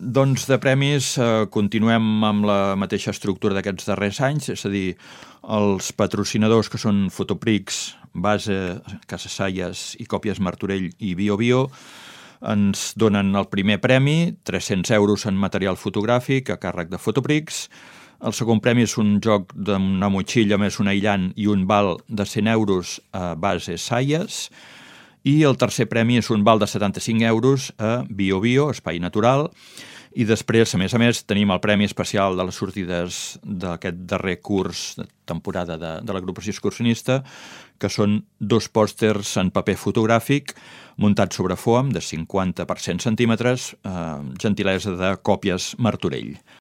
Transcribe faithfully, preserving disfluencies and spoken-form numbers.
doncs de premis eh, continuem amb la mateixa estructura d'aquests darrers anys, és a dir, els patrocinadors que són Fotoprix, Base, Casa Salles i Còpies Martorell i Bio Bio ens donen el primer premi, tres-cents euros en material fotogràfic a càrrec de Fotoprix. El segon premi és un joc d'una motxilla més un aïllant i un val de cent euros a Base Salles. I el tercer premi és un val de setanta-cinc euros a Bio Bio, Espai Natural. I després, a més a més, tenim el premi especial de les sortides d'aquest darrer curs de temporada de, de l'agrupació excursionista, que són dos pòsters en paper fotogràfic muntats sobre foam de cinquanta per cent centímetres, eh, gentilesa de Còpies Martorell.